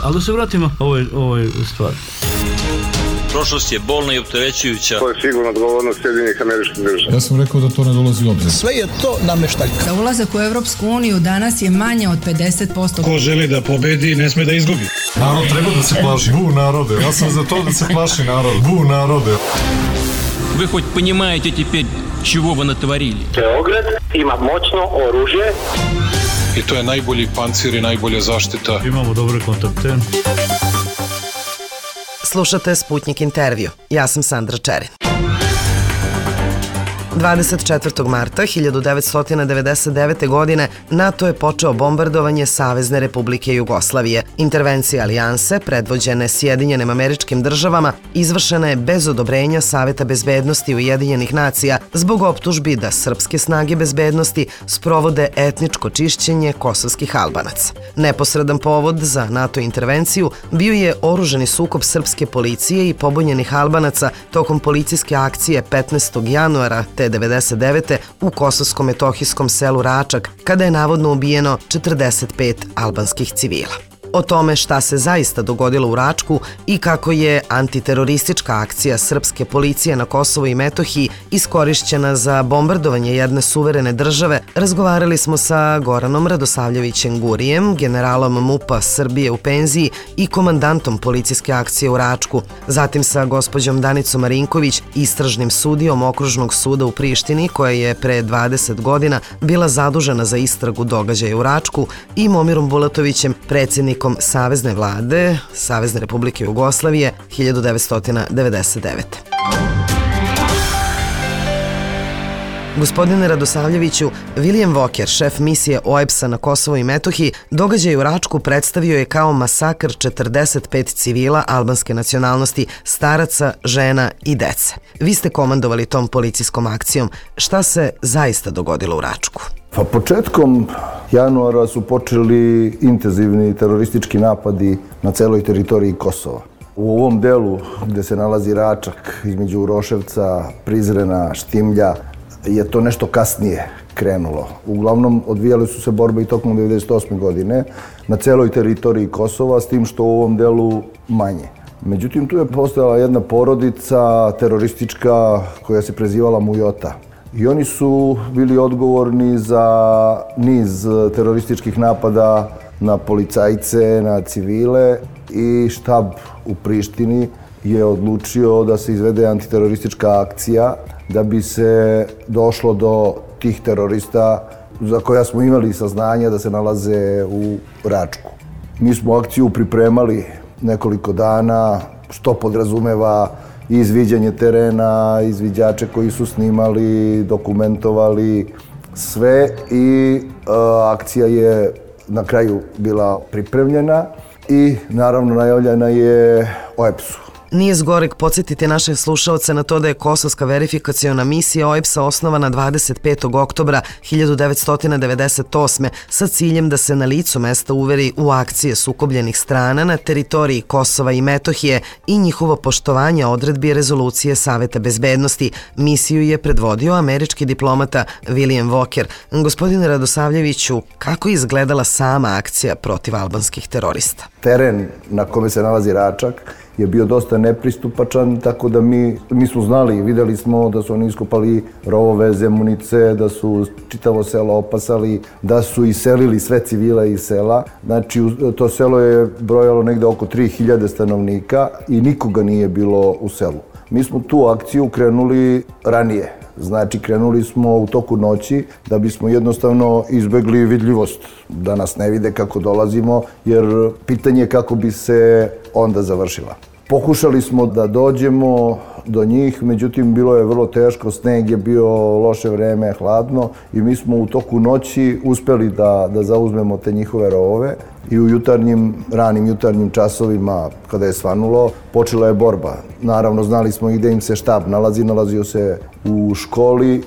Ali da se vratimo ovoj stvari. Prošlost je bolna i opterećujuća. To je sigurno odgovornost Sjedinjenih Američkih Država. Ja sam rekao da to ne dolazi u obzir. Sve je to nameštaljka. Za ulazak u Evropsku uniju danas je manje od 50%. Ko želi da pobedi, ne sme da izgubi. Narod treba da se plaši. Bu narode. Ja sam za to da se plaši narod. Bu narode. Вы хоть понимаете теперь, чего вы натворили? Beograd ima moćno oružje. I to je najbolji pancir i najbolja zaštita. Imamo dobre kontakte. Slušate Sputnik intervju. Ja sam Sandra Čerin. 24. marta 1999. godine NATO je počeo bombardovanje Savezne Republike Jugoslavije. Intervencija alijanse, predvođene Sjedinjenim Američkim Državama, izvršena je bez odobrenja Saveta bezbednosti Ujedinjenih nacija zbog optužbi da srpske snage bezbednosti sprovode etničko čišćenje kosovskih Albanaca. Neposredan povod za NATO intervenciju bio je oružani sukob srpske policije i pobunjenih Albanaca tokom policijske akcije 15. januara te 1999. u kosovsko-metohijskom selu Račak, kada je navodno ubijeno 45 albanskih civila. O tome šta se zaista dogodilo u Račku i kako je antiteroristička akcija srpske policije na Kosovu i Metohiji iskorišćena za bombardovanje jedne suverene države, razgovarali smo sa Goranom Radosavljevićem Gurijem, generalom MUP-a Srbije u penziji i komandantom policijske akcije u Račku, zatim sa gospođom Danicom Marinković, istražnim sudijom Okružnog suda u Prištini, koja je pre 20 godina bila zadužena za istragu događaja u Račku, i Momirom Bulatovićem, predsjednikom Savezne vlade Savezne Republike Jugoslavije 1999. Gospodine Radosavljeviću, William Walker, šef misije OEBS-a na Kosovu i Metohiji, događaj u Račku predstavio je kao masakr 45 civila albanske nacionalnosti, staraca, žena i dece. Vi ste komandovali tom policijskom akcijom. Šta se zaista dogodilo u Račku? Pa početkom januara su počeli intenzivni teroristički napadi na celoj teritoriji Kosova. U ovom delu gde se nalazi Račak, između Uroševca, Prizrena, Štimlja, je to nešto kasnije krenulo. Uglavnom, odvijale su se borbe i tokom 1998. godine na celoj teritoriji Kosova, s tim što u ovom delu manje. Međutim, tu je postojala jedna porodica teroristička koja se prezivala Mujota. I oni su bili odgovorni za niz terorističkih napada na policajce, na civile, i štab u Prištini je odlučio da se izvede antiteroristička akcija da bi se došlo do tih terorista za koja smo imali saznanja da se nalaze u Račku. Mi smo akciju pripremali nekoliko dana, što podrazumeva izviđanje terena, izviđače koji su snimali, dokumentovali sve, i akcija je na kraju bila pripremljena i naravno najavljena je OEBS-u. Nije zgoreg podsjetiti naše slušaoce na to da je Kosovska verifikaciona misija OEBS-a osnovana 25. oktobra 1998. sa ciljem da se na licu mesta uveri u akcije sukobljenih strana na teritoriji Kosova i Metohije i njihovo poštovanje odredbi rezolucije Saveta bezbednosti. Misiju je predvodio američki diplomata William Walker. Gospodine Radosavljeviću, kako je izgledala sama akcija protiv albanskih terorista? Teren na kome se nalazi Račak je bio dosta nepristupačan, tako da mi smo znali i videli smo da su oni iskopali rovove, zemunice, da su čitavo selo opasali, da su iselili sve civile iz sela. Znači, to selo je brojalo negde oko 3000 stanovnika i nikoga nije bilo u selu. Mi smo tu akciju krenuli ranije. Znači, krenuli smo u toku noći da bismo jednostavno izbegli vidljivost, da nas ne vide kako dolazimo, jer pitanje je kako bi se onda završila. Pokušali smo da dođemo do njih, međutim bilo je vrlo teško, sneg je bio, loše vreme, hladno, i mi smo u toku noći uspeli da zauzmemo te njihove rovove i u ranim jutarnjim časovima, kada je svanulo, počela je borba. Naravno, znali smo i gde im se štab nalazio se u školi,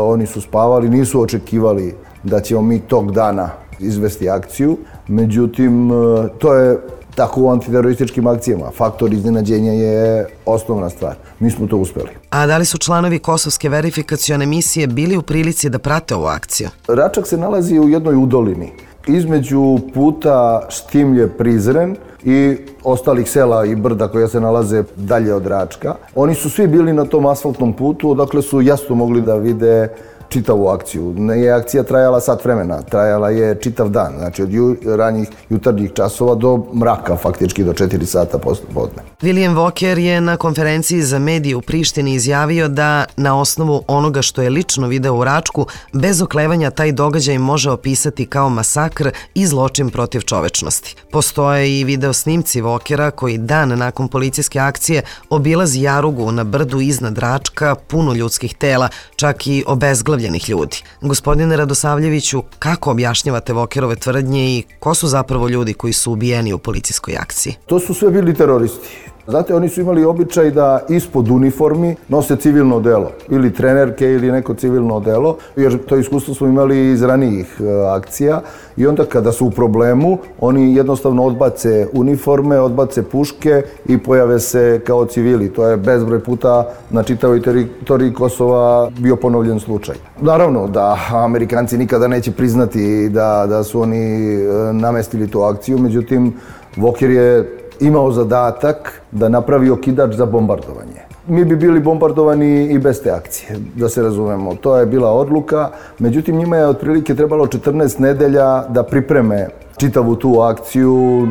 oni su spavali, nisu očekivali da ćemo mi tog dana izvesti akciju, međutim, to je tako u antiterorističkim akcijama. Faktor iznenađenja je osnovna stvar. Mi smo to uspeli. A da li su članovi Kosovske verifikacione misije bili u prilici da prate ovu akciju? Račak se nalazi u jednoj udolini Između puta Štimlje-Prizren i ostalih sela i brda koja se nalaze dalje od Račka. Oni su svi bili na tom asfaltnom putu, odakle su jasno mogli da vide čitavu akciju. Nije akcija trajala sat vremena, trajala je čitav dan, znači od ranjih jutarnjih časova do mraka, faktički do 4 sata posle podne. William Walker je na konferenciji za medije u Prištini izjavio da na osnovu onoga što je lično video u Račku, bez oklevanja taj događaj može opisati kao masakr i zločin protiv čovečnosti. Postoje i video snimci Walkera koji dan nakon policijske akcije obilazi jarugu na brdu iznad Račka puno ljudskih tela, čak i obezglavljenih ljudi. Gospodine Radosavljeviću, kako objašnjavate Walkerove tvrdnje i ko su zapravo ljudi koji su ubijeni u policijskoj akciji? To su sve bili teroristi. Znate, oni su imali običaj da ispod uniformi nose civilno odelo, ili trenerke ili neko civilno odelo, jer to iskustvo smo imali iz ranijih akcija i onda kada su u problemu, oni jednostavno odbace uniforme, odbace puške i pojave se kao civili. To je bezbroj puta na čitavoj teritoriji Kosova bio ponovljen slučaj. Naravno da Amerikanci nikada neće priznati da su oni namestili tu akciju, međutim, Walker je imao zadatak da napravi okidač za bombardovanje. Mi bi bili bombardovani i bez te akcije, da se razumemo. To je bila odluka, međutim njima je otprilike trebalo 14 nedelja da pripreme čitavu tu akciju,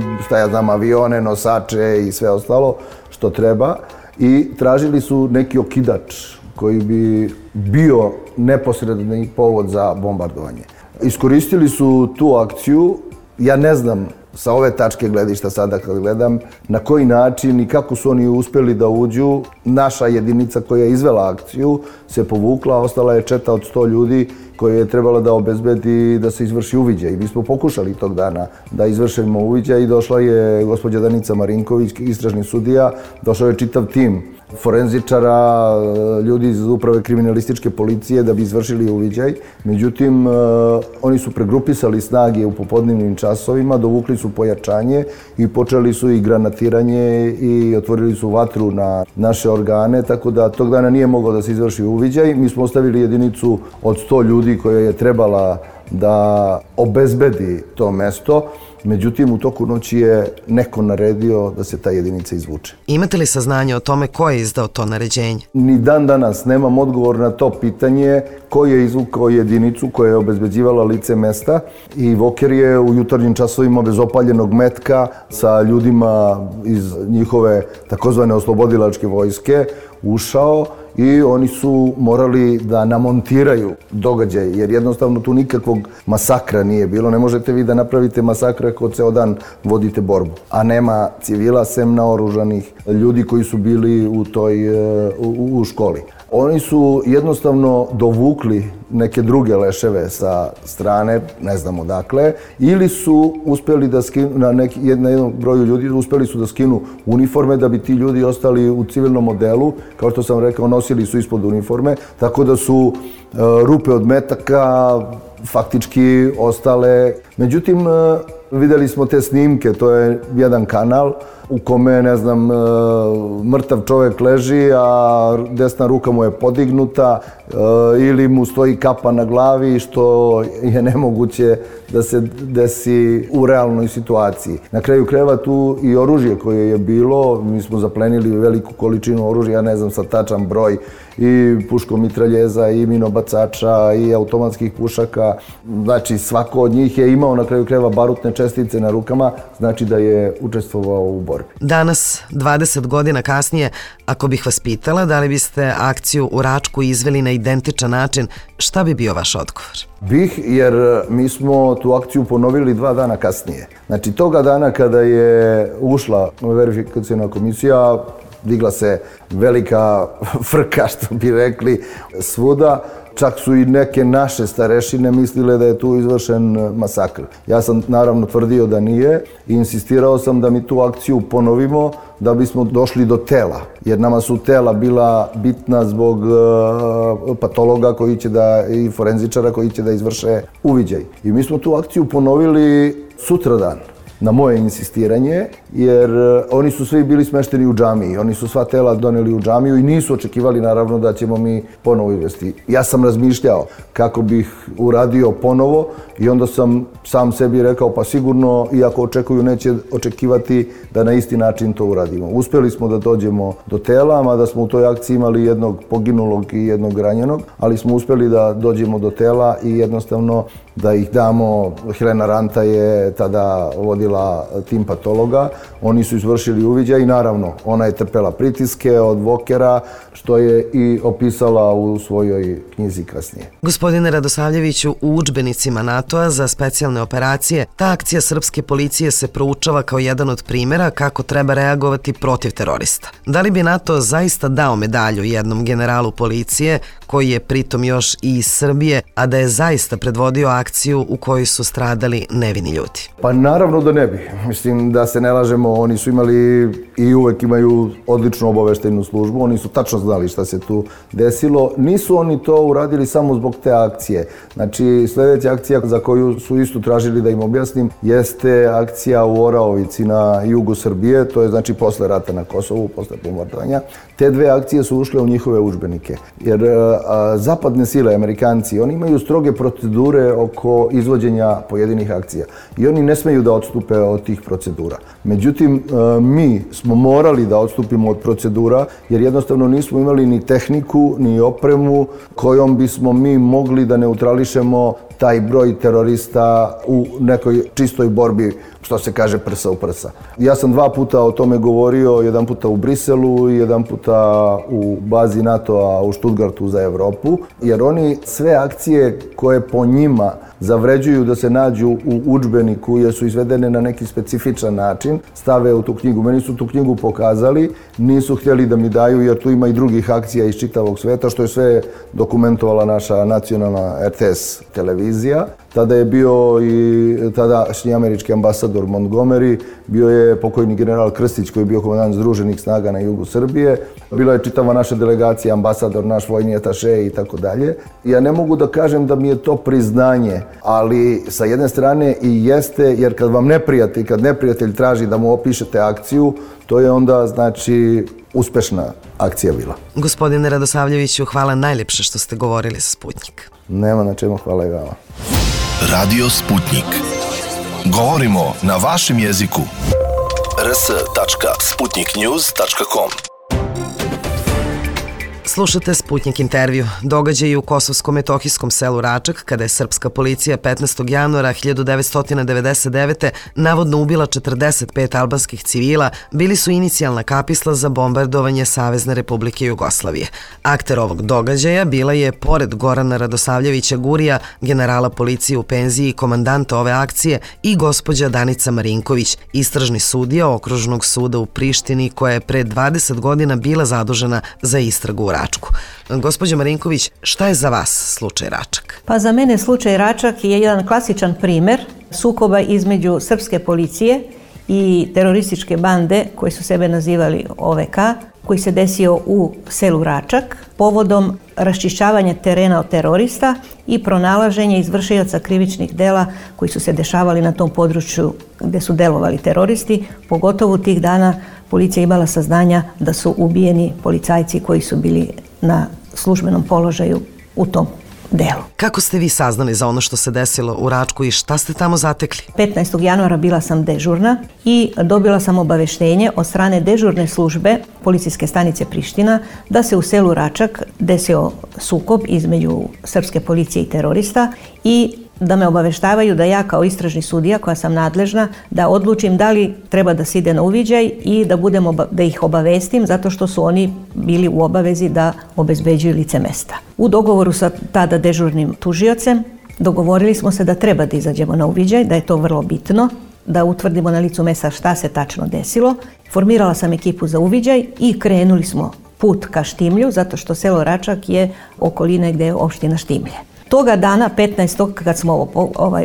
avione, nosače i sve ostalo što treba i tražili su neki okidač koji bi bio neposredni povod za bombardovanje. Iskoristili su tu akciju, ja ne znam sa ove tačke gledišta sada kad gledam, na koji način i kako su oni uspeli da uđu. Naša jedinica koja je izvela akciju se povukla, ostala je četa od 100 ljudi koje je trebala da obezbedi da se izvrši uviđaj. Mi smo pokušali tog dana da izvršimo uviđaj i došla je gospođa Danica Marinković, istražni sudija, došao je čitav tim forenzičara, ljudi iz uprave kriminalističke policije da bi izvršili uviđaj. Međutim, oni su pregrupisali snage u popodnevnim časovima, dovukli su pojačanje i počeli su i granatiranje i otvorili su vatru na naše organe, tako da tog dana nije mogao da se izvrši uviđaj. Mi smo ostavili jedinicu od 100 ljudi koja je trebala da obezbedi to mesto. Međutim, u toku noći je neko naredio da se ta jedinica izvuče. Imate li saznanje o tome ko je izdao to naređenje? Ni dan danas nemam odgovor na to pitanje ko je izvukao jedinicu koja je obezbeđivala lice mesta i Walker je u jutarnjim časovima bez opaljenog metka sa ljudima iz njihove takozvane oslobodilačke vojske ušao i oni su morali da namontiraju događaj, jer jednostavno tu nikakvog masakra nije bilo. Ne možete vi da napravite masakr ako ceo dan vodite borbu, a nema civila sem naoružanih ljudi koji su bili u školi. Oni su jednostavno dovukli neke druge leševe sa strane, ne znam odakle, ili su uspeli da skinu, na jednom broju ljudi, uspeli su da skinu uniforme da bi ti ljudi ostali u civilnom modelu, kao što sam rekao, nosili su ispod uniforme, tako da su rupe od metaka faktički ostale. Međutim, videli smo te snimke, to je jedan kanal u kome, ne znam, mrtav čovjek leži, a desna ruka mu je podignuta ili mu stoji kapa na glavi, što je nemoguće da se desi u realnoj situaciji. Na kraju krajeva tu i oružje koje je bilo, mi smo zaplenili veliku količinu oružja, ja ne znam sad tačan broj, i puškomitraljeza, i minobacača, i automatskih pušaka. Znači, svako od njih je imao na kraju krajeva barutne čestice na rukama, znači da je učestvovao u borbi. Danas, 20 godina kasnije, ako bih vas pitala da li biste akciju u Račku izveli na identičan način, šta bi bio vaš odgovor? Bih, jer mi smo tu akciju ponovili 2 dana kasnije. Znači, toga dana kada je ušla verifikacijna komisija, digla se velika frka, što bi rekli, svuda. Čak su i neke naše starešine mislile da je tu izvršen masakr. Ja sam naravno tvrdio da nije i insistirao sam da mi tu akciju ponovimo da bismo došli do tela. Jer nama su tela bila bitna zbog patologa koji će i forenzičara koji će da izvrše uviđaj. I mi smo tu akciju ponovili sutradan. na moje insistiranje, jer oni su svi bili smešteni u džamiji. Oni su sva tela doneli u džamiju i nisu očekivali naravno da ćemo mi ponovo izvesti. Ja sam razmišljao kako bih uradio ponovo i onda sam sam sebi rekao pa sigurno, iako očekuju, neće očekivati da na isti način to uradimo. Uspjeli smo da dođemo do tela, mada smo u toj akciji imali jednog poginulog i jednog ranjenog, ali smo uspjeli da dođemo do tela i jednostavno da ih damo. Helena Ranta je tada vodila tim patologa, oni su izvršili uviđaj i naravno ona je trpela pritiske od Vokera, što je i opisala u svojoj knjizi kasnije. Gospodine Radosavljeviću, u udžbenicima NATO-a za specijalne operacije ta akcija srpske policije se proučava kao jedan od primjera kako treba reagovati protiv terorista. Da li bi NATO zaista dao medalju jednom generalu policije koji je pritom još i iz Srbije, a da je zaista predvodio akciju u kojoj su stradali nevini ljudi? Pa naravno da ne bi. Mislim da se ne lažemo, oni su imali i uvek imaju odličnu obaveštajnu službu, oni su tačno znali šta se tu desilo. Nisu oni to uradili samo zbog te akcije. Znači, sljedeća akcija za koju su isto tražili da im objasnim jeste akcija u Oraovici na jugu Srbije, to je znači posle rata na Kosovu, posle bombardovanja. Te dve akcije su ušle u njihove udžbenike, jer zapadne sile, Amerikanci, oni imaju stroge procedure oko izvođenja pojedinih akcija i oni ne smeju da odstupe od tih procedura. Međutim, mi smo morali da odstupimo od procedura jer jednostavno nismo imali ni tehniku, ni opremu kojom bismo mi mogli da neutrališemo taj broj terorista u nekoj čistoj borbi, što se kaže prsa u prsa. Ja sam 2 puta o tome govorio, jedan puta u Briselu i jedan puta u bazi NATO-a u Stuttgartu za Evropu, jer oni sve akcije koje po njima zavređuju da se nađu u udžbeniku jer su izvedene na neki specifičan način, stave u tu knjigu. Meni su tu knjigu pokazali, nisu htjeli da mi daju jer tu ima i drugih akcija iz čitavog sveta, što je sve dokumentovala naša nacionalna RTS televizija. Tada je bio i tadašnji američki ambasador Montgomery, bio je pokojni general Krstić koji je bio komandant Združenih snaga na jugu Srbije, bila je čitava naša delegacija, ambasador, naš vojni ataše i tako dalje. Ja ne mogu da kažem da mi je to priznanje, ali sa jedne strane i jeste, jer kad neprijatelj traži da mu opišete akciju, to je onda znači uspešna akcija bila. Gospodine Radosavljeviću, hvala najljepše što ste govorili sa Sputnik. Nema na čemu, hvala i vama. Radio Sputnik. Govorimo na vašem jeziku. rs.sputniknews.com. Slušate Sputnik intervju. Događaji u kosovsko-metohijskom selu Račak, kada je srpska policija 15. januara 1999. navodno ubila 45 albanskih civila, bili su inicijalna kapisla za bombardovanje Savezne Republike Jugoslavije. Akter ovog događaja bila je, pored Gorana Radosavljevića Gurija, generala policije u penziji i komandanta ove akcije, i gospođa Danica Marinković, istražni sudija Okružnog suda u Prištini, koja je pre 20 godina bila zadužena za istragu u Račku. Gospođo Marinković, šta je za vas slučaj Račak? Pa za mene slučaj Račak je jedan klasičan primer sukoba između srpske policije i terorističke bande koji su sebe nazivali OVK, koji se desio u selu Račak povodom raščišćavanja terena od terorista i pronalaženja izvršioca krivičnih dela koji su se dešavali na tom području gde su delovali teroristi. Pogotovo tih dana policija imala saznanja da su ubijeni policajci koji su bili na službenom položaju u tom delu. Kako ste vi saznali za ono što se desilo u Račku i šta ste tamo zatekli? 15. januara bila sam dežurna i dobila sam obaveštenje od strane dežurne službe policijske stanice Priština da se u selu Račak desio sukob između srpske policije i terorista i da me obaveštavaju da ja kao istražni sudija koja sam nadležna da odlučim da li treba da se ide na uviđaj i da ih obavestim zato što su oni bili u obavezi da obezbeđuju lice mesta. U dogovoru sa tada dežurnim tužiocem dogovorili smo se da treba da izađemo na uviđaj, da je to vrlo bitno, da utvrdimo na licu mesta šta se tačno desilo. Formirala sam ekipu za uviđaj i krenuli smo put ka Štimlju zato što selo Račak je okoline gde je opština Štimlje. Toga dana, 15. kad smo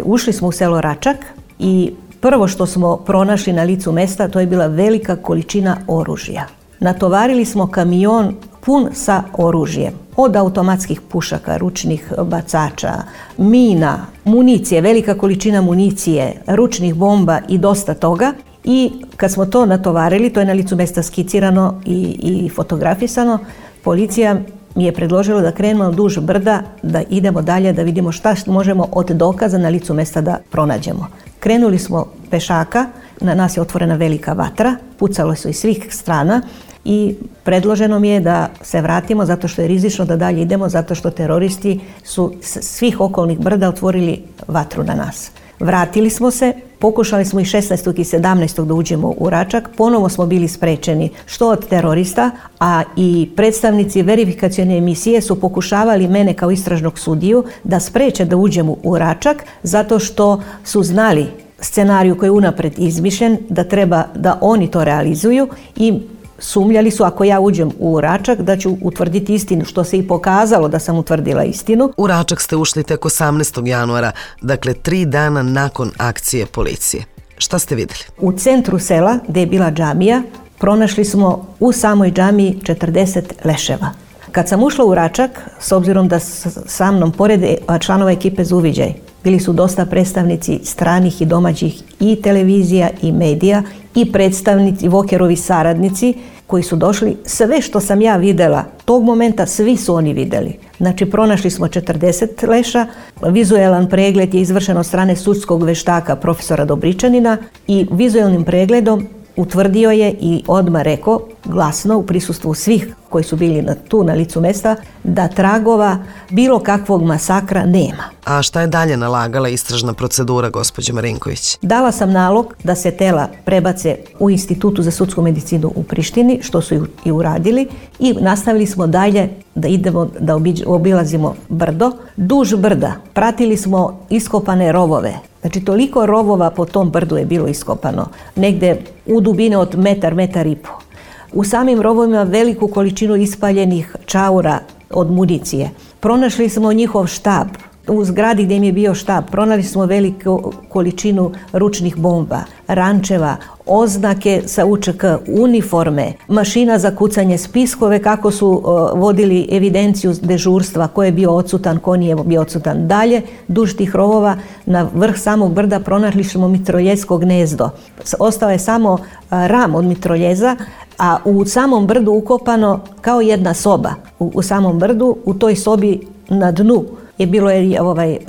ušli smo u selo Račak i prvo što smo pronašli na licu mesta to je bila velika količina oružja. Natovarili smo kamion pun sa oružjem. Od automatskih pušaka, ručnih bacača, mina, municije, velika količina municije, ručnih bomba i dosta toga. I kad smo to natovarili, to je na licu mesta skicirano i fotografisano, policija mi je predložilo da krenemo duž brda, da idemo dalje, da vidimo šta možemo od dokaza na licu mesta da pronađemo. Krenuli smo pešaka, na nas je otvorena velika vatra, pucalo su iz svih strana i predloženo mi je da se vratimo zato što je rizično da dalje idemo, zato što teroristi su svih okolnih brda otvorili vatru na nas. Vratili smo se, pokušali smo i 16. i 17. da uđemo u Račak, ponovo smo bili sprečeni što od terorista, a i predstavnici verifikacione emisije su pokušavali mene kao istražnog sudiju da spreče da uđemo u Račak zato što su znali scenariju koji je unapred izmišljen, da treba da oni to realizuju i sumnjali su ako ja uđem u Račak da ću utvrditi istinu, što se i pokazalo da sam utvrdila istinu. U Račak ste ušli tek 18. januara, dakle 3 dana nakon akcije policije. Šta ste vidjeli? U centru sela, gdje je bila džamija, pronašli smo u samoj džamiji 40 leševa. Kad sam ušla u Račak, s obzirom da sa mnom pored članova ekipe za uviđaj, bili su dosta predstavnici stranih i domaćih i televizija i medija i predstavnici, Vokerovi saradnici koji su došli. Sve što sam ja videla, tog momenta svi su oni vidjeli. Znači, pronašli smo 40 leša, vizualan pregled je izvršen od strane sudskog veštaka profesora Dobričanina i vizualnim pregledom utvrdio je i odmah rekao glasno u prisustvu svih koji su bili tu na licu mesta da tragova bilo kakvog masakra nema. A šta je dalje nalagala istražna procedura, gospođo Marinković? Dala sam nalog da se tela prebace u Institutu za sudsku medicinu u Prištini, što su i uradili, i nastavili smo dalje da idemo da obilazimo brdo. Duž brda pratili smo iskopane rovove. Znači, toliko rovova po tom brdu je bilo iskopano. Negde u dubine od metar i po. U samim rovovima veliku količinu ispaljenih čaura od municije. Pronašli smo njihov štab. U zgradi gdje im je bio štab pronašli smo veliku količinu ručnih bomba, rančeva, oznake sa UČK, uniforme, mašina za kucanje, spiskove kako su vodili evidenciju dežurstva, ko je bio odsutan, ko nije bio odsutan. Dalje, duž tih rovova, na vrh samog brda pronašli smo mitroljesko gnezdo. Ostao je samo ram od mitroljeza, a u samom brdu ukopano kao jedna soba. U samom brdu, u toj sobi na dnu je bilo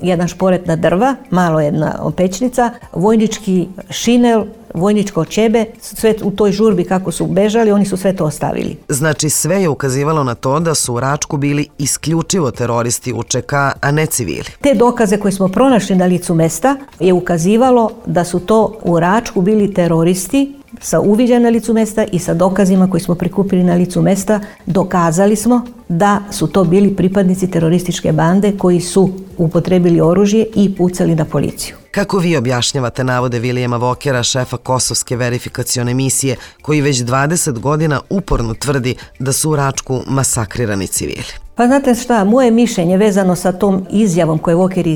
jedan šporetna drva, malo jedna pećnica, vojnički šinel, vojničko čebe, sve u toj žurbi kako su bežali, oni su sve to ostavili. Znači, sve je ukazivalo na to da su u Račku bili isključivo teroristi UČK, a ne civili. Te dokaze koje smo pronašli na licu mesta je ukazivalo da su to u Račku bili teroristi sa uviđajem na licu mesta i sa dokazima koji smo prikupili na licu mesta. Dokazali smo da su to bili pripadnici terorističke bande koji su upotrebili oružje i pucali na policiju. Kako vi objašnjavate navode Vilijama Vokera, šefa kosovske verifikacione misije, koji već 20 godina uporno tvrdi da su u Račku masakrirani civili? Pa znate šta, moje mišljenje vezano sa tom izjavom koju je Voker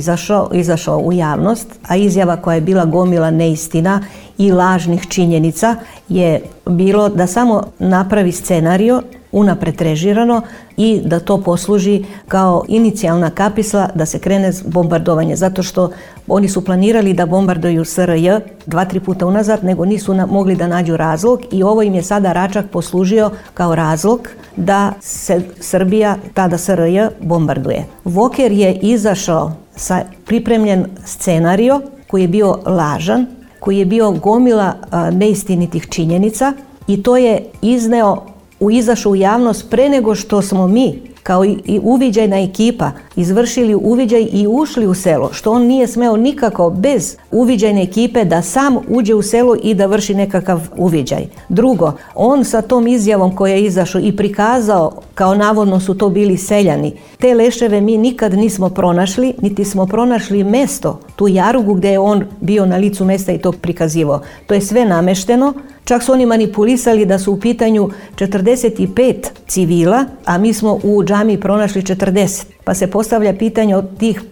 izašao u javnost, a izjava koja je bila gomila neistina i lažnih činjenica, je bilo da samo napravi scenario unapred režirano i da to posluži kao inicijalna kapisla da se krene bombardovanje, zato što oni su planirali da bombarduju SRJ 2-3 puta unazad, nego nisu mogli da nađu razlog i ovo im je sada Račak poslužio kao razlog da se Srbija, tada SRJ, bombarduje. Voker je izašao sa pripremljen scenario koji je bio lažan, koji je bio gomila neistinitih činjenica i to je izašao u javnost pre nego što smo mi kao i uviđajna ekipa izvršili uviđaj i ušli u selo, što on nije smeo nikako bez uviđajne ekipe da sam uđe u selo i da vrši nekakav uviđaj. Drugo, on sa tom izjavom koja je izašao i prikazao kao navodno su to bili seljani, te leševe mi nikad nismo pronašli, niti smo pronašli mesto, tu jarugu gdje je on bio na licu mesta i to prikazivao. To je sve namešteno. Čak su oni manipulisali da su u pitanju 45 civila, a mi smo u džamiji pronašli 40. Pa se postavlja pitanje od tih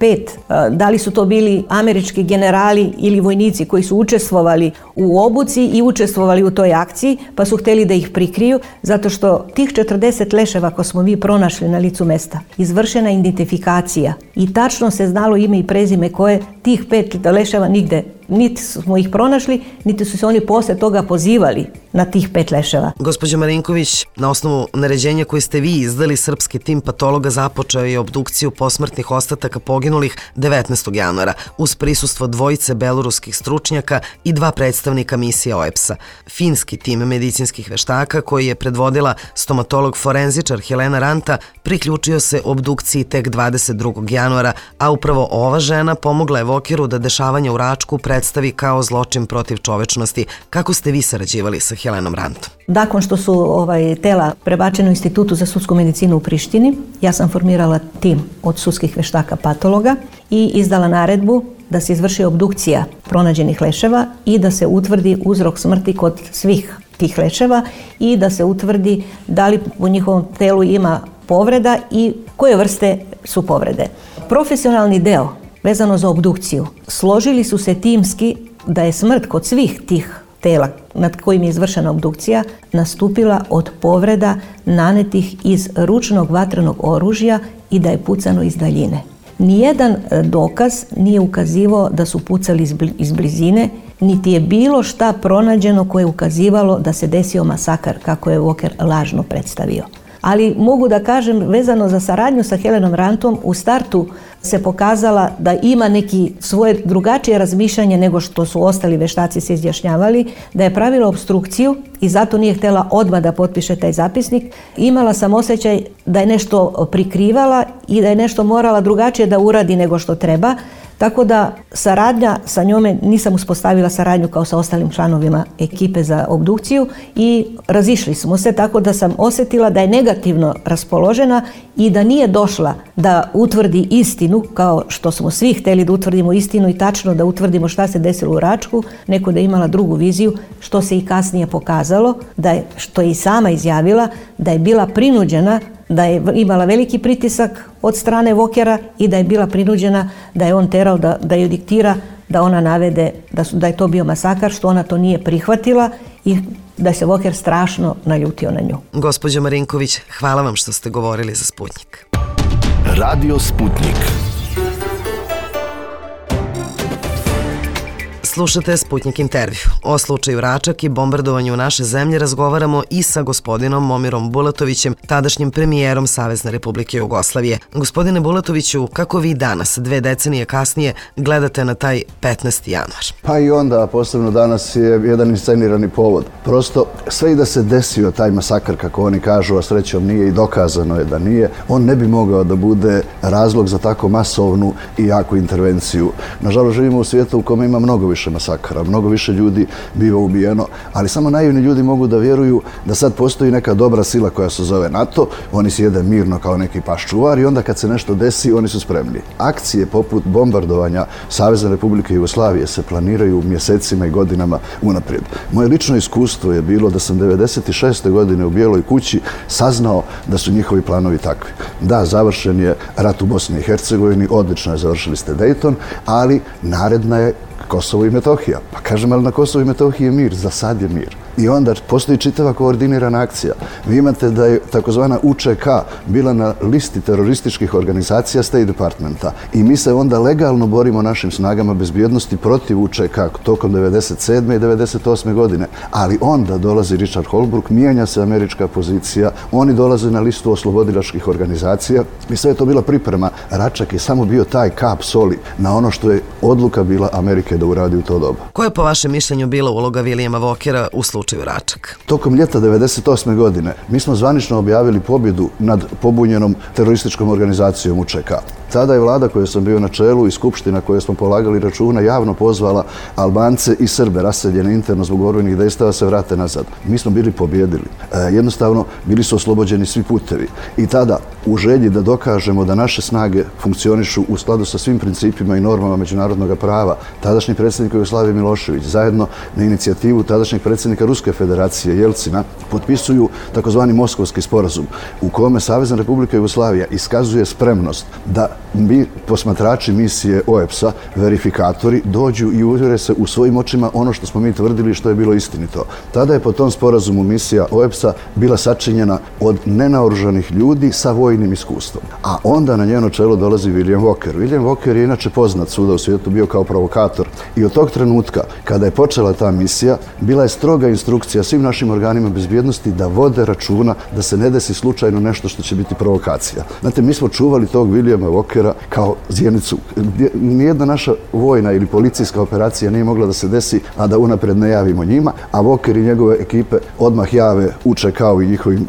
5, da li su to bili američki generali ili vojnici koji su učestvovali u obuci i učestvovali u toj akciji, pa su htjeli da ih prikriju, zato što tih 40 leševa koje smo mi pronašli na licu mesta, izvršena identifikacija i tačno se znalo ime i prezime koje tih 5 leševa nigde, niti smo ih pronašli, niti su se oni posle toga pozivali na tih 5 leševa. Gospođo Marinković, na osnovu naređenja koje ste vi izdali, srpski tim patologa započeo je obdukciju posmrtnih ostataka poginulih 19. januara uz prisustvo dvojice beloruskih stručnjaka i 2 predstavnika misije OEPS-a. Finski tim medicinskih veštaka, koji je predvodila stomatolog forenzičar Helena Ranta, priključio se obdukciji tek 22. januara, a upravo ova žena pomogla je Vokeru da dešavanja u Račku predstavi kao zločin protiv čovečnosti. Kako ste vi sarađivali sa Helenom Rantom? Nakon što su tela prebačene u Institutu za sudsku medicinu u Prištini, ja sam formirala tim od sudskih veštaka patologa i izdala naredbu da se izvrši obdukcija pronađenih leševa i da se utvrdi uzrok smrti kod svih tih leševa i da se utvrdi da li u njihovom telu ima povreda i koje vrste su povrede. Profesionalni deo vezano za obdukciju složili su se timski da je smrt kod svih tih tela nad kojim je izvršena obdukcija nastupila od povreda nanetih iz ručnog vatrenog oružja i da je pucano iz daljine. Nijedan dokaz nije ukazivao da su pucali iz blizine, niti je bilo šta pronađeno koje je ukazivalo da se desio masakar, kako je Voker lažno predstavio. Ali mogu da kažem, vezano za saradnju sa Helenom Rantom, u startu se pokazala da ima neki svoje drugačije razmišljanje nego što su ostali veštaci se izjašnjavali, da je pravila obstrukciju i zato nije htjela odmah da potpiše taj zapisnik. Imala sam osjećaj da je nešto prikrivala i da je nešto morala drugačije da uradi nego što treba. Tako da saradnja sa njome, nisam uspostavila saradnju kao sa ostalim članovima ekipe za obdukciju i razišli smo se, tako da sam osjetila da je negativno raspoložena i da nije došla da utvrdi istinu, kao što smo svi htjeli da utvrdimo istinu i tačno da utvrdimo šta se desilo u Račku, neko da je imala drugu viziju, što se i kasnije pokazalo, da je, što je i sama izjavila, da je bila prinuđena, da je imala veliki pritisak od strane Vokera i da je bila prinuđena da je on terao da joj diktira da ona navede da je to bio masakar, što ona to nije prihvatila i da se Voker strašno naljutio na nju. Gospođo Marinković, hvala vam što ste govorili za Sputnjik. Radio Sputnjik. Slušate Sputnjik intervju. O slučaju Račak i bombardovanju naše zemlje razgovaramo i sa gospodinom Momirom Bulatovićem, tadašnjim premijerom Savezne Republike Jugoslavije. Gospodine Bulatoviću, kako vi danas, 2 decenije kasnije, gledate na taj 15. januar? Pa i onda, posebno danas, je jedan inscenirani povod. Prosto, sve i da se desio taj masakr, kako oni kažu, a srećom nije i dokazano je da nije, on ne bi mogao da bude razlog za tako masovnu i jaku intervenciju. Nažalost, živimo u svijetu u kome ima mnogo više masakara, mnogo više ljudi biva ubijeno, ali samo naivni ljudi mogu da vjeruju da sad postoji neka dobra sila koja se zove NATO, oni sjede mirno kao neki paščuvar i onda kad se nešto desi, oni su spremni. Akcije poput bombardovanja Savezne Republike Jugoslavije se planiraju mjesecima i godinama unaprijed. Moje lično iskustvo je bilo da sam 96. godine u Bijeloj kući saznao da su njihovi planovi takvi. Da, završen je rat u Bosni i Hercegovini, odlično je, završili ste Dayton, ali naredna je Kosovo i Metohija. Pa kažem, ali na Kosovo i Metohiji je mir, za sad je mir. I onda postoji čitava koordinirana akcija. Vi imate da je takozvana UČK bila na listi terorističkih organizacija State Departmenta i mi se onda legalno borimo našim snagama bezbjednosti protiv UČK tokom 97. i 98. godine. Ali onda dolazi Richard Holbrooke, mijenja se američka pozicija, oni dolaze na listu oslobodilačkih organizacija i sve je to bila priprema. Račak je samo bio taj kap soli na ono što je odluka bila Amerike da uradi u to doba. Koja je po vašem mišljenju bila uloga Vilijama Vokera u slučaju Račak? Tokom ljeta 98. godine mi smo zvanično objavili pobjedu nad pobunjenom terorističkom organizacijom UČK. Tada je vlada koju sam bio na čelu i skupština koju smo polagali računa javno pozvala Albance i Srbe raseljene interno zbog borbenih dejstava se vrate nazad. Mi smo bili pobjedili. Jednostavno, bili su oslobođeni svi putevi. I tada, u želji da dokažemo da naše snage funkcionišu u skladu sa svim principima i normama međunarodnog prava, tadašnji predsjednik Jugoslavije Milošević, zajedno na inicijativu tadašnjeg predsjednika Ruske federacije Jelcina potpisuju takozvani Moskovski sporazum u kome Savezna Republika Jugoslavija iskazuje spremnost da posmatrači misije OEBS-a, verifikatori, dođu i uvjere se u svojim očima ono što smo mi tvrdili što je bilo istinito. Tada je po tom sporazumu misija OEBS-a bila sačinjena od nenaoružanih ljudi sa vojnim iskustvom. A onda na njeno čelo dolazi William Walker. William Walker je inače poznat svuda u svijetu, bio kao provokator. I od tog trenutka, kada je počela ta misija, bila je stroga instrukcija svim našim organima bezbjednosti da vode računa da se ne desi slučajno nešto što će biti provokacija. Znate, mi smo čuvali tog Williama Walkera kao zjenicu. Nijedna naša vojna ili policijska operacija nije mogla da se desi, a da unapred ne javimo njima, a Walker i njegove ekipe odmah jave uče kao i njihovim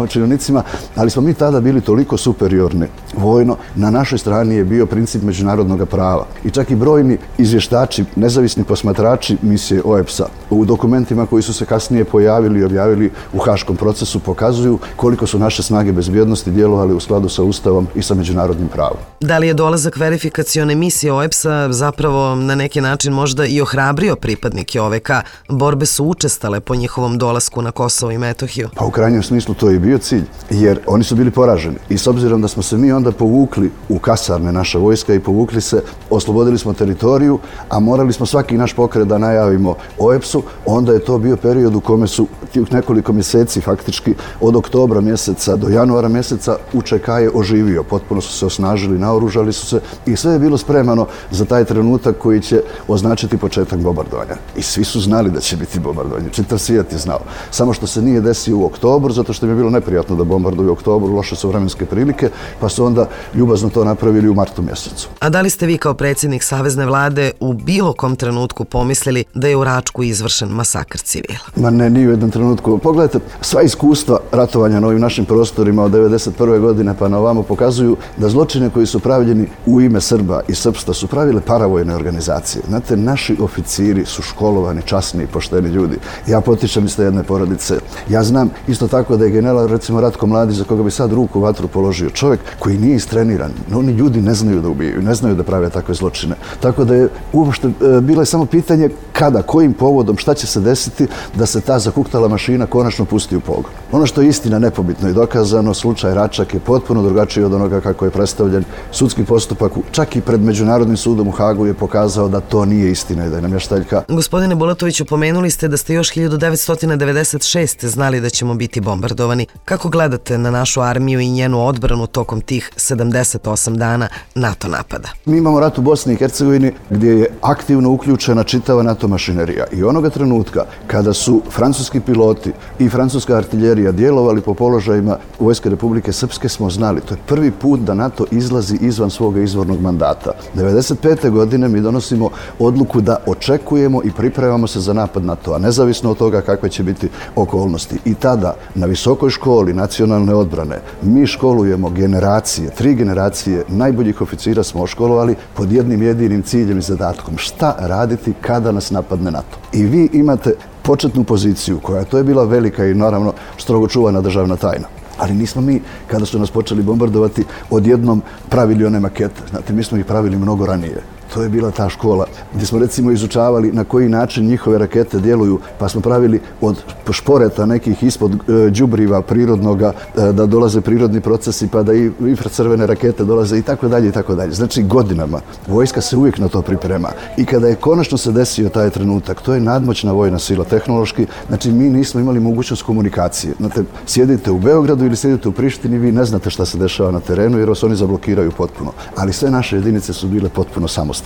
činovnicima, ali smo mi tada bili toliko superiorni vojno, na našoj strani je bio princip međunarodnog prava. I čak i brojni izvještači, nezavisni posmatrači misije OEBS-a u dokumentima koji su se kasnije pojavili i objavili u Haškom procesu pokazuju koliko su naše snage bezbjednosti djelovali u skladu sa Ustavom i sa međunarodnim pravom. Da li je dolazak verifikacione misije OEBS-a zapravo na neki način možda i ohrabrio pripadnike OVK? Borbe su učestale po njihovom dolasku na Kosovo i Metohiju. Pa u krajnjem smislu to je bio cilj, jer oni su bili poraženi. I s obzirom da smo se mi onda povukli u kasarne naša vojska i povukli se, oslobodili smo teritoriju, a morali smo svaki naš pokret da najavimo OEBS-u, onda je to bio period u kome su nekoliko mjeseci, faktički od oktobra mjeseca do januara mjeseca, UČK je oživio. Potpuno su se osnažili, naoružali su se i sve je bilo spremano za taj trenutak koji će označiti početak bombardovanja. I svi su znali da će biti bombardovanje. Čitav svijet je znao. Samo što se nije desio u oktobru, zato što im je bilo neprijatno da bombarduju u oktobru, loše su vremenske prilike, pa su onda ljubazno to napravili u martu mjesecu. A da li ste vi kao predsjednik Savezne vlade u bilo kom trenutku pomislili da je u Račku izvršen masakr civila? Ma ne, nije u jednom trenutku. Pogledajte, sva iskustva ratovanja na ovim našim prostorima od 1991. godine pa na ovamo pokazuju da zločine koji su pravljeni u ime Srba i srpstva su pravile paravojne organizacije. Znate, naši oficiri su školovani, časni i pošteni ljudi. Ja potičem iz te jedne porodice. Ja znam isto tako da je general, recimo Ratko Mladić, za koga bi sad ruku u vatru položio, čovjek koji nije istreniran. Oni ljudi ne znaju da ubijaju, ne znaju da prave takve zločine. Tako da je uopšte bilo je samo pitanje kada, kojim povodom, šta će se desiti da se ta zakuktala mašina konačno pusti u pogon. Ono što je istina nepobitno i dokazano, slučaj Račak je potpuno drugačiji od onoga kako je predstavljen. Sudski postupak, čak i pred Međunarodnim sudom u Hagu, je pokazao da to nije istina i da je namještaljka. Gospodine Bulatoviću, pomenuli ste da ste još 1996. znali da ćemo biti bombardovani. Kako gledate na našu armiju i njenu odbranu tokom tih 78 dana NATO napada? Mi imamo rat u Bosni i Hercegovini gdje je aktivno uključena čitava NATO mašinerija i onoga trenutka kada su francuski piloti i francuska artiljerija djelovali po položajima Vojske Republike Srpske, smo znali. To je prvi put da NATO izlazi izvan svoga izvornog mandata. 1995. godine mi donosimo odluku da očekujemo i pripremamo se za napad NATO-a, nezavisno od toga kakve će biti okolnosti. I tada na Visokoj školi nacionalne odbrane mi školujemo generacije, 3 generacije najboljih oficira smo školovali pod jednim jedinim ciljem i zadatkom. Šta raditi kada nas napadne NATO? I vi imate početnu poziciju koja to je bila velika i naravno strogo čuvana državna tajna. Ali nismo mi, kada su nas počeli bombardovati, odjednom pravili one makete. Znate, mi smo ih pravili mnogo ranije. To je bila ta škola gdje smo recimo izučavali na koji način njihove rakete djeluju, pa smo pravili od šporeta nekih ispod đubriva prirodnoga da dolaze prirodni procesi, pa da i infracrvene rakete dolaze i tako dalje i tako dalje. Znači godinama vojska se uvijek na to priprema i kada je konačno se desio taj trenutak, to je nadmoćna vojna sila tehnološki, znači mi nismo imali mogućnost komunikacije. Znate, sjedite u Beogradu ili sjedite u Prištini, vi ne znate šta se dešava na terenu jer vas oni zablokiraju potpuno. Ali sve naše jedinice su bile potpuno samostalne.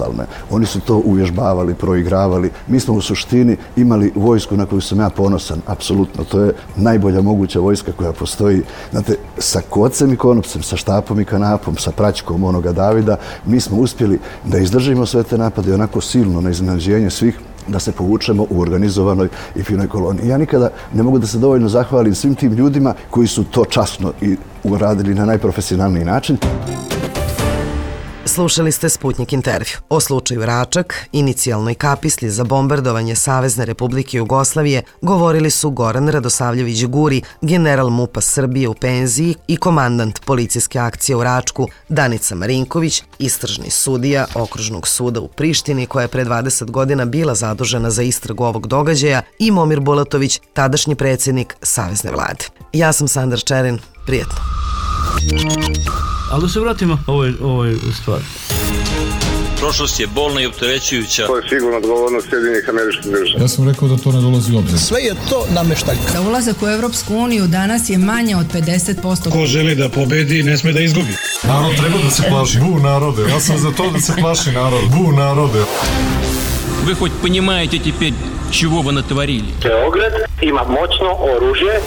Oni su to uvježbavali, proigravali. Mi smo u suštini imali vojsku na koju sam ja ponosan, apsolutno. To je najbolja moguća vojska koja postoji. Znate, sa kocem i konopcem, sa štapom i kanapom, sa praćkom onoga Davida, mi smo uspjeli da izdržimo sve te napade onako silno na iznenađenje svih, da se povučemo u organizovanoj i finoj koloni. Ja nikada ne mogu da se dovoljno zahvalim svim tim ljudima koji su to časno i uradili na najprofesionalniji način. Slušali ste Sputnik intervju. O slučaju Račak, inicijalnoj kapisli za bombardovanje Savezne Republike Jugoslavije, govorili su Goran Radosavljević Guri, general MUP-a Srbije u penziji i komandant policijske akcije u Račku, Danica Marinković, istražni sudija Okružnog suda u Prištini koja je pre 20 godina bila zadužena za istragu ovog događaja, i Momir Bulatović, tadašnji predsjednik Savezne vlade. Ja sam Sandra Čerin, prijetno. Ali da se vratimo ovoj stvari. Prošlost je bolna i opterećujuća. To je sigurno odgovornost Sjedinjenih Američkih Država. Ja sam rekao da to ne dolazi u obzir. Sve je to nameštaljka. Za ulazak u Evropsku uniju danas je manje od 50%. Ko želi da pobedi, ne sme da izgubi. Narod treba da se plaši. Bu narode. Ja sam za to da se plaši narod. Bu narode. Вы хоть понимаете теперь, чего вы натворили? Beograd ima moćno oružje.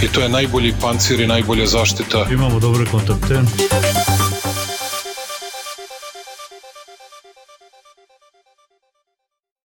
I to je najbolji pancir i najbolja zaštita. Imamo dobre kontakte.